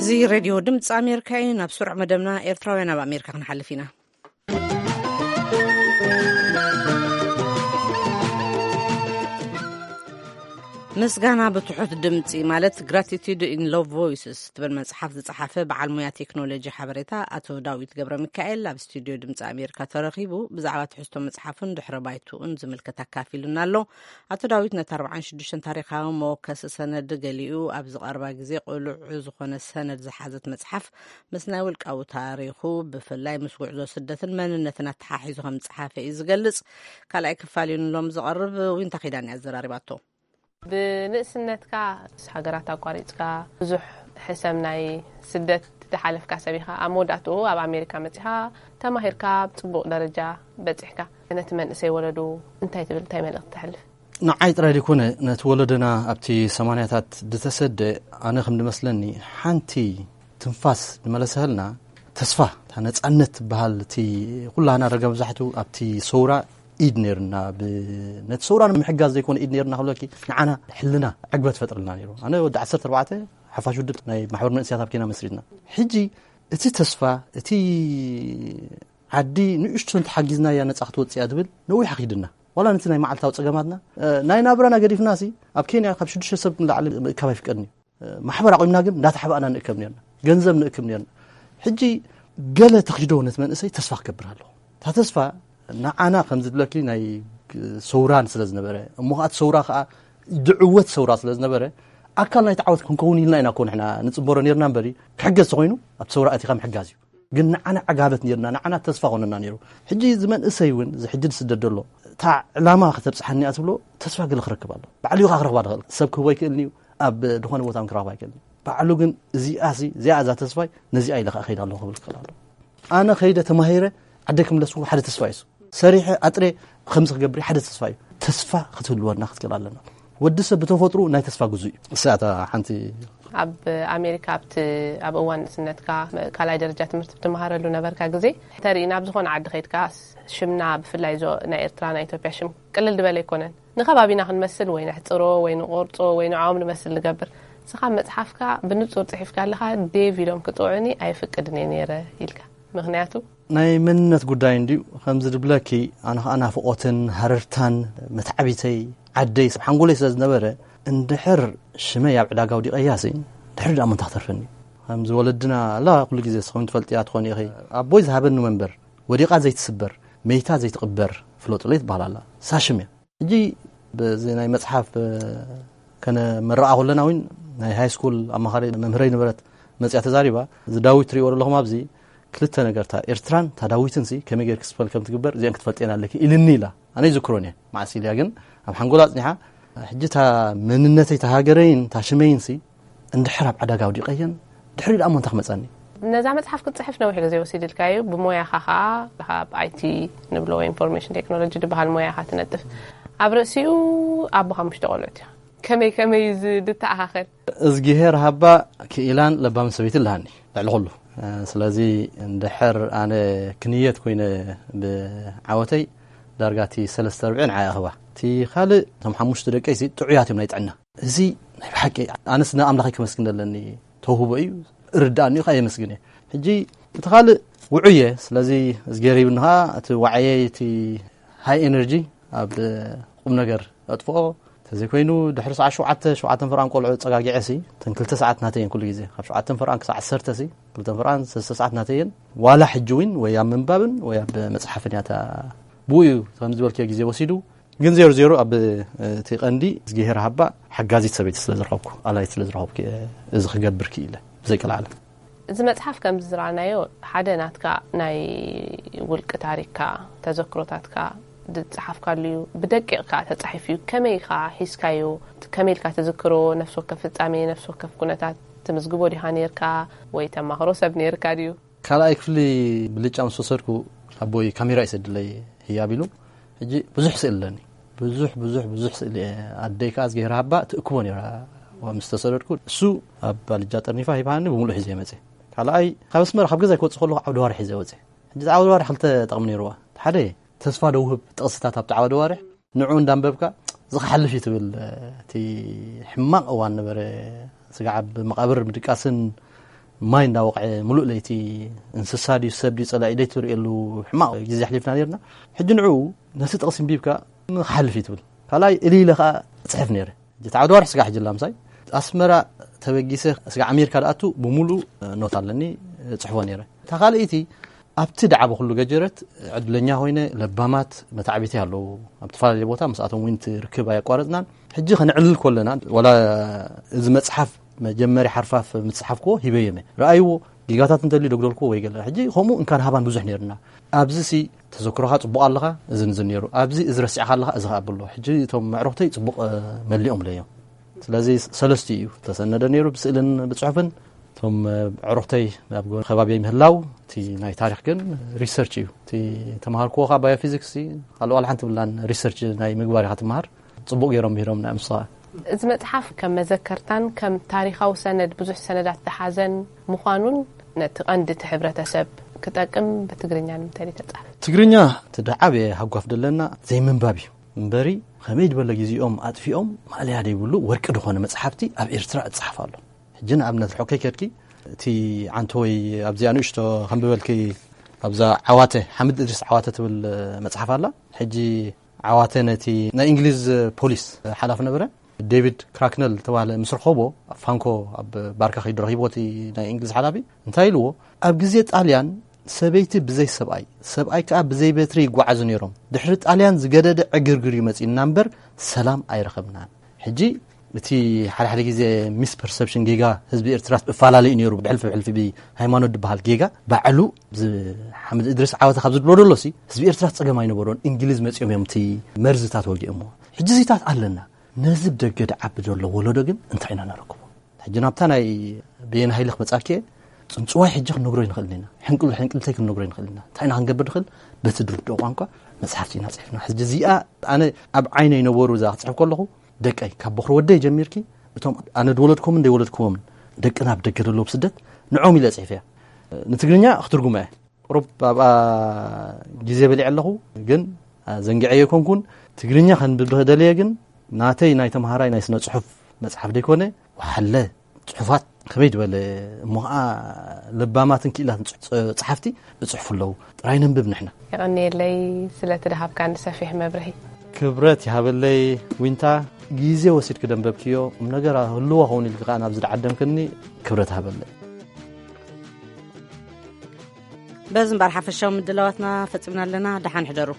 እዚ ሬድዮ ድምፂ ኣሜሪካ እዩ። ናብ ስሩዕ መደብና ኤርትራውያን ኣብ ኣሜሪካ ክንሓልፍ ኢና። ምስጋና ብትሑት ድምፂ ማለት Gratitude in Low Voices ትብል መፅሓፍ ዝፀሓፈ በዓል ሙያ ቴክኖሎጂ ሓበሬታ ኣቶ ዳዊት ገብረ ሚካኤል ኣብ ስቱድዮ ድምፂ ኣሜሪካ ተረኺቡ ብዛዕባ ትሕዝቶ መፅሓፉን ድሕረ ባይትኡን ዝምልከት ኣካፊሉና ኣሎ። ኣቶ ዳዊት ነቲ ኣርባዓን ሽዱሽተን ታሪኻዊ መወከሲ ሰነድ ገሊኡ ኣብዚ ቀረባ ግዜ ቅሉዕ ዝኾነ ሰነድ ዝሓዘት መፅሓፍ ምስ ናይ ውልቃዊ ታሪኹ ብፍላይ ምስ ጉዕዞ ስደትን መንነትን ኣተሓሒዙ ከም ዝፀሓፈ እዩ ዝገልፅ። ካልኣይ ክፋል እዩ ንሎም ዝቐርብ። ዊንታ ኪዳን እያ ኣዘራሪባቶ። ብንእስነትካ ሃገራት ኣቋሪፅካ ብዙሕ ሕሰም ናይ ስደት ዝሓለፍካ ሰብ ኢኻ። ኣብ መወዳእትኡ ኣብ ኣሜሪካ መፂኻ ተማሂርካ ኣብ ፅቡቕ ደረጃ በፂሕካ፣ ነቲ መንእሰይ ወለዱ እንታይ ትብል፣ እንታይ መልእኽቲ ተሕልፍ? ንዓይ ጥራይ ዘይኮነ፣ ነቲ ወለደና ኣብቲ ሰማንያታት ዝተሰደ፣ ኣነ ከም ዝመስለኒ ሓንቲ ትንፋስ ዝመለሰልና ተስፋ፣ እታ ነፃነት ትበሃል፣ እቲ ኩላህና ደረጃ መብዛሕቱ ኣብቲ ሰውራ ኢድ ነይርና። ብ-፣ ነቲ ሰውራ ንምሕጋዝ ዘይኮነ ኢድ ነይርና ክብለኪ፣ ንዓና ሕልና ዕግበት ፈጥርልና ነይሩ። ኣነ ወዲ ዓሰርተ ኣርባዕተ ሓፋሽ ውድብ ናይ ማሕበር መንእሰያት ኣብ ኬንያ መስሪትና። ሕጂ እቲ ተስፋ፣ እቲ ዓዲ ንእሽቶ እንተሓጊዝናያ ነጻ ክትወጽእ እያ ዝብል ነዊሕ ኣኺድና። ዋላ ነቲ ናይ መዓልታዊ ጸገማትና፣ እ፣ ናይ ናብራና ገዲፍና ሲ፣ ኣብ ኬንያ ካብ ሽዱሽተ ሰብ ንላዕሊ ምእካብ ኣይፍቀድን እዩ። እ፣ ማሕበር ኣቑምና ግን እንዳተሓባእና ንእከብ ነርና። ገንዘብ ንእክብ ነርና። ሕጂ ገለ ተኺዶ ነቲ መንእሰይ ተስፋ ክገብር ኣለኹ። እታ ተስፋ ንዓና ከም ዝብለኪ ናይ ሰውራን ስለ ዝነበረ፣ እሞ ከኣ እቲ ሰውራ ከኣ ዝዕወት ሰውራ ስለ ዝነበረ፣ ኣካል ናይቲ ዓወት ክንከውን ኢልና ኢና እኮ ንሕና ንጽንበሮ ነርና እምበሪ፣ ክሕገዝ ተኾይኑ ኣብቲ ሰውራ ኣቲኻ ምሕጋዝ እዩ። ግን ንዓና ዕጋበት ነርና፣ ንዓና ተስፋ ኮነና ነይሩ። ሕጂ እዚ መንእሰይ እውን፣ እዚ ሕጂ ዝስደድ ዘሎ፣ እታ ዕላማ ከተብጽሓኒ እያ ትብሎ፣ ተስፋ ገለ ክረክብ ኣሎ። ባዕሉ እዩ ከኣ ክረኽባ ዝኽእል። ሰብ ክህቦ ኣይክእልን እዩ፣ ኣብ ዝኾነ ቦታ እውን ክረኽባ ኣይክእልን እዩ። ባዕሉ ግን እዚኣሲ፣ እዚኣ እዛ ተስፋይ፣ ነዚኣ ኢለ ከኣ ከይድ ኣለኹ ክብል ክኽእል ኣሎ። ኣነ ከይደ ተማሂረ ዓደይ ክምለስ ሓደ ተስፋ እዩ። ሰሪሐ ኣጥሬ ከምዚ ክገብር ሓደ ተስፋ እዩ። ተስፋ ክትህልወና ክትክእል ኣለና። ወዲ ሰብ ብተፈጥሩ ናይ ተስፋ ግዙእ እዩ። እሳታ ሓንቲ ኣብ ኣሜሪካ ኣብቲ ኣብ እዋን ንእስነትካ ካልኣይ ደረጃ ትምህርቲ ብትመሃረሉ ነበርካ ግዜ ተርኢ ናብ ዝኾነ ዓዲ ከይድካ ሽምና ብፍላይ ዞ ናይ ኤርትራ ናይ ኢትዮጵያ ሽም ቅልል ዝበለ ኣይኮነን። ንከባቢና ክንመስል ወይ ነሕጽሮ ወይ ንቆርጾ ወይ ንዓኦም ንመስል ንገብር። ንስኻ መጽሓፍካ ብንጹር ጽሒፍካ ኣለኻ። ዴቭ ኢሎም ክጽውዑኒ ኣይፍቅድን እየ ነይረ ኢልካ። ምኽንያቱ? ናይ መንነት ጉዳይ እንድዩ። ከምዚ ድብለኪ፣ ኣነ ኸኣ ናፍቖትን ሃረርታን መትዓቢተይ ዓደይ ሰብ ሓንጎለይ ስለ ዝነበረ፣ እንድሕር ሽመይ ኣብ ዕዳጋ ኣውዲቐያሲ፣ ድሕሪ ደኣ መን ተኽተርፈኒ? ከምዚ ወለድና ኣላ፣ ኩሉ ግዜ ስኹም ትፈልጥያ ትኾኒ ኢኺ። ኣቦይ ዝሃበኒ መንበር፣ ወዲቓ ዘይትስበር፣ መይታ ዘይትቕበር ፍለጡለይ ትበሃል ኣላ። እሳ ሽም እያ። ሕጂ በዚ ናይ መጽሓፍ ከነመርቓ ከለና እውን ናይ ሃይ ስኩል ኣማኻሪ መምህረይ ነበረት መጽያ ተዛሪባ፣ እዚ ዳዊት ትሪእዎ ዘለኹም ኣብዚ ክልተ ነገርታ ኤርትራን እታ ዳዊትን ሲ ከመይ ጌርክ ስፐል ከም ትግበር እዚአን ክትፈልጥየን ኣለኪ ኢልኒ ኢላ። ኣነ ይዝክሮን እየ። መዓስ ኢልያ ግን ኣብ ሓንጎላ ኣጽኒሓ። ሕጂ እታ መንነተይ፣ እታ ሃገረይን እታ ሽመይን ሲ እንድሕር ኣብ ዕዳጋ ኣውዲቐየን፣ ድሕሪ ደኣ እሞ እንታይ ክመጸኒ? ነዛ መጽሓፍ ክትጽሕፍ ነዊሕ ግዜ ወሲድልካ እዩ። ብሞያኻ ኸኣ ኣብ ኣይቲ ንብሎ ወይ ኢንፎርሜሽን ቴክኖሎጂ ዝበሃል ሞያ ኢኻ ትነጥፍ። ኣብ ርእሲኡ ኣቦ ሓሙሽተ ቆልዑት ኢኻ። ከመይ ከመይ እዩ እዚ ዝተኣኻኸል? እዝግሄር ሃባ ክኢላን ለባምን ሰበይቲ ኣለሃኒ ልዕሊ ኩሉ። ስለዚ እንድሕር ኣነ ክንየት ኮይነ ብዓወተይ ዳርጋ እቲ ሰለስተ ርብዒ ንዓኣ እኽባ። እቲ ካልእ እቶም ሓሙሽተ ደቀይሲ ጥዑያት እዮም ናይ ጥዕና። እዚ ናይ ብሓቂ ኣነስ ንኣምላኸይ ከመስግን ኣለኒ። ተውህቦ እዩ፣ እርዳእኒ እዩ፣ ከኣ የመስግን እየ። ሕጂ እቲ ካልእ ውዑይ እየ። ስለዚ እዝጌር ሂብኒ ኸኣ እቲ ዋዕየይ፣ እቲ ሃይ ኤነርጂ ኣብ ቁም ነገር ኣጥፍኦ። ተዘይኮይኑ ድሕሪ ሰዓት ሸውዓተ፣ ሸውዓተን ፈርቓን ቆልዑ ጸጋጊዐ ሲ፣ እተን ክልተ ሰዓት ናተይ እየን ኩሉ ግዜ። ካብ ሸውዓተን ፈርቓን ክሳዕ ዓሰርተ ሲ፣ ክልተን ፈርቓን ሰለስተ ሰዓት ናተይ እየን። ዋላ ሕጂ እውን ወይ ኣብ ምንባብን ወይ ኣብ መጽሓፍን እያ እታ። ብኡ እዩ ከም ዝበልክዮ ግዜ ወሲዱ። ግን ዜሮ ዜሮ ኣብ እቲ ቀንዲ እዝግሄር ሃባ ሓጋዚት ሰበይቲ ስለ ዝረኸብኩ፣ ኣላይት ስለ ዝረኸብኩ እየ እዚ ክገብር ክኢለ፣ ብዘይቀልዓለም። እዚ መጽሓፍ ከም ዝረኣናዮ ሓደ ናትካ ናይ ውልቂ ታሪክካ፣ ተዘክሮታትካ ዝጸሓፍካሉ እዩ። ብደቂቕ ከኣ ተጻሒፉ እዩ። ከመይ ኢኻ ሒዝካዮ? ከመይ ኢልካ ትዝክሮ? ነፍሲ ወከፍ ፍጻሜ፣ ነፍሲ ወከፍ ኩነታት ትምዝግቦ ዲኻ ነይርካ? ወይ ተማኽሮ ሰብ ነይርካ ድዩ? ካልኣይ ክፍሊ ብልጫ ምስ ወሰድኩ ኣቦይ ካሜራ ይሰድለይ ህያብ ኢሉ። ሕጂ ብዙሕ ስእሊ ኣለኒ። ብዙሕ፣ ብዙሕ፣ ብዙሕ ስእሊ እየ። ኣደይ ከኣ እዝግሄር ሃባ ትእክቦ ነይራ። ዋ ምስ ተሰደድኩ፣ እሱ ኣብ ባልጃ ጠርኒፋ ሂባሃኒ፣ ብምሉእ ሒዘ መጽእ። ካልኣይ፣ ካብ ኣስመራ፣ ካብ ገዛይ ክወጽእ ከለኹ ዓውደ ዋርሕ ሒዘ ወጽእ። ሕጂ ዓውደ ዋርሕ ክልተ ጠቕሚ ነይርዋ። እቲ ሓደ ተስፋ ደውህብ ጥቕስታት ኣብቲ ዓውደ ዋርሕ፣ ንዑ እንዳንበብካ፣ እዚ ክሓልፍ እዩ ትብል። እቲ ሕማቕ እዋን ነበረ። ስጋዕ ኣብ መቓብር ምድቃስን ማይ እንዳወቕዐ፣ ምሉእ ለይቲ እንስሳ ድዩ ሰብ ድዩ ጸላኢ ደይ ትርእየሉ ሕማቕ ግዜ ኣሕሊፍና ነይርና። ሕጂ ንዑ ነቲ ጥቕሲ ኣንቢብካ፣ ክሓልፍ እዩ ትብል። ካልኣይ፣ እልይ ኢለ ከኣ እጽሕፍ ነይረ። እቲ ዓውደ ዋርሕ ስጋዕ ሕጂ ላምሳይ ኣስመራ ተበጊሰ ስጋዕ ኣሜሪካ ድኣቱ ብምሉእ ኖት ኣለኒ፣ እጽሕፎ ነይረ። እታ ካልኣይቲ፣ ኣብቲ ደዓበ ኩሉ ገጀረት ዕድለኛ ኮይነ፣ ለባማት መታዕቢተይ ኣለዉ። ኣብ ዝተፈላለየ ቦታ ምስኣቶም እውን እቲ ርክብ ኣየቋረጽናን። ሕጂ ከነዕልል ከለና፣ ዋላ እዚ መጽሓፍ መጀመሪ ሓርፋፍ ምስ ጸሓፍክዎ ሂበዮም እየ። ረኣይዎ፣ ጌጋታት እንተልዩ ደጉደልክዎ ወይ ገለ። ሕጂ ከምኡ እንካን ሃባን ብዙሕ ነይርና። ኣብዚ ሲ ተዘክሮኻ ጽቡቕ ኣለኻ፣ እዚ ንዚ ነይሩ። ኣብዚ እዚ ረሲዕካ ኣለኻ፣ እዚ ከኣ ብሎ። ሕጂ እቶም ኣዕሩኽተይ ጽቡቕ፣ እ፣ መሊኦምለይ እዮም። ስለዚ ሰለስቲኡ እዩ ተሰነደ ነይሩ፣ ብስእልን ብጽሑፍን። እቶም፣ እ፣ ኣዕሩኽተይ ኣብ ጎ-፣ ከባቢየይ ምህላው፣ እቲ ናይ ታሪኽ ግን ሪሰርች እዩ። እቲ ተማሃርክዎ ከኣ ባዮፊዚክስ፣ ካልእ ዋላ ሓንቲ ብላን ሪሰርች ናይ ምግባር ኢኻ ትመሃር። ጽቡቕ ገይሮም ምሂሮምና እዮም ንስኻ። እዚ መጽሓፍ ከም መዘከርታን ከም ታሪኻዊ ሰነድ ብዙሕ ሰነዳት ዝሓዘን ምዃኑን ነቲ ቀንዲ እቲ ሕብረተሰብ ክጠቅም ብትግርኛ ንምንታይ ድዩ ተጻሕፈ? ትግርኛ እቲ ደዓብየ ሃጓፍ ደለና ዘይምንባብ እዩ እምበሪ፣ ከመይ ዝበለ ግዜኦም ኣጥፊኦም ማእለያ ደይብሉ ወርቂ ዝኾነ መጽሓፍቲ ኣብ ኤርትራ እጸሓፍ ኣሎ። ሕጂ ንኣብነት ርሑቕ ከይከድኪ፣ እቲ ዓንተወይ ኣብዚኣ ንእሽቶ ከንብበልኪ፣ ኣብዛ ዓዋተ፣ ሓምድ እድሪስ ዓዋተ ትብል መጽሓፍ ኣላ። ሕጂ ዓዋተ ነቲ ናይ እንግሊዝ ፖሊስ ሓላፊ ነበረ፣ ዴቪድ ክራክነል ዝተባህለ ምስ ረኸቦ፣ ኣብ ፋንኮ ኣብ ባርካ ከይዱ ረኺብዎ እቲ ናይ እንግሊዝ ሓላፊ፣ እንታይ ኢልዎ? ኣብ ግዜ ጣልያን ሰበይቲ ብዘይ ሰብኣይ፣ ሰብኣይ ከኣ ብዘይ በትሪ ይጓዓዙ ነይሮም። ድሕሪ ጣልያን ዝገደደ ዕግርግር እዩ መጺኡና እምበር ሰላም ኣይረኸብናን። ሕጂ እቲ ሓደ ሓደ ግዜ ሚስ ፐርሰፕሽን፣ ጌጋ ህዝቢ ኤርትራ እፈላለዩ ነይሩ፣ ብሕልፊ ብሕልፊ ብሃይማኖት ዝበሃል ጌጋ። ባዕሉ እዚ ሓምድ እድሪስ ዓወተ ካብ ዝብሎ ደሎሲ፣ ህዝቢ ኤርትራ ጸገም ኣይነበሮን፣ እንግሊዝ መጺኦም እዮም እቲ መርዝታት ወጊኦምዎ። ሕጂ እዚታት ኣለና። ነዚ ብደገ ድዓቢ ዘሎ ወለዶ ግን እንታይ ኢና ነረክቦ? ሕጂ ናብታ ናይ በየነ ሃይለ ክመጻኪ እየ። ጽንጽዋይ ሕጂ ክንነግሮ ይንኽእል ኢና። ሕንቅል-፣ ሕንቅልተይ ክንነግሮ ይንኽእል ኢና። እንታይ ኢና ክንገብር ንኽእል? በቲ ድርድኦ ቋንቋ መጽሓፍቲ ኢና ጽሒፍና። ሕጂ እዚኣ ኣነ ኣብ ዓይነይ ነበሩ እዛ ክጽሕፍ ከለኹ፣ ደቀይ፣ ካብ በኹሪ ወደይ ጀሚርኪ፣ እቶም ኣነ ዝወለድኩምን ዘይወለድኩዎምን ደቅና ኣብ ደገ ዘለዉ ብስደት፣ ንዖም ኢለ ጽሒፈያ። ንትግርኛ ክትርጉማ እየ። ቁሩብ ኣብኣ ግዜ በሊዐ ኣለኹ፣ ግን ዘንጊዐዮ ኣይኮንኩን። ትግርኛ ከንብብ ደልየ፣ ግን ናተይ ናይ ተምሃራይ ናይ ስነ ጽሑፍ መጽሓፍ ደይኮነ፣ ወሓለ ጽሑፋት ከመይ ዝበለ እሞ ኸዓ ለባማትን ክኢላትን ጽ- ጸ- ጸሓፍቲ ብጽሕፉ ኣለዉ። ጥራይ ነንብብ ንሕና። የቐንየለይ ስለቲ ድሃብካኒ ሰፊሕ መብርሂ። ክብረት ይሃበለይ ዊንታ፣ ግዜ ወሲድኪ ደንበብክዮ ቁም ነገር ህልዎ ኸውን ኢልኪ ከዓ ናብዚ ድዓደምክኒ ክብረት ሃበለይ። በዚ እምበር ሓፈሻዊ ምድላዋትና ፈጺምና ኣለና። ደሓን ሕደሩ።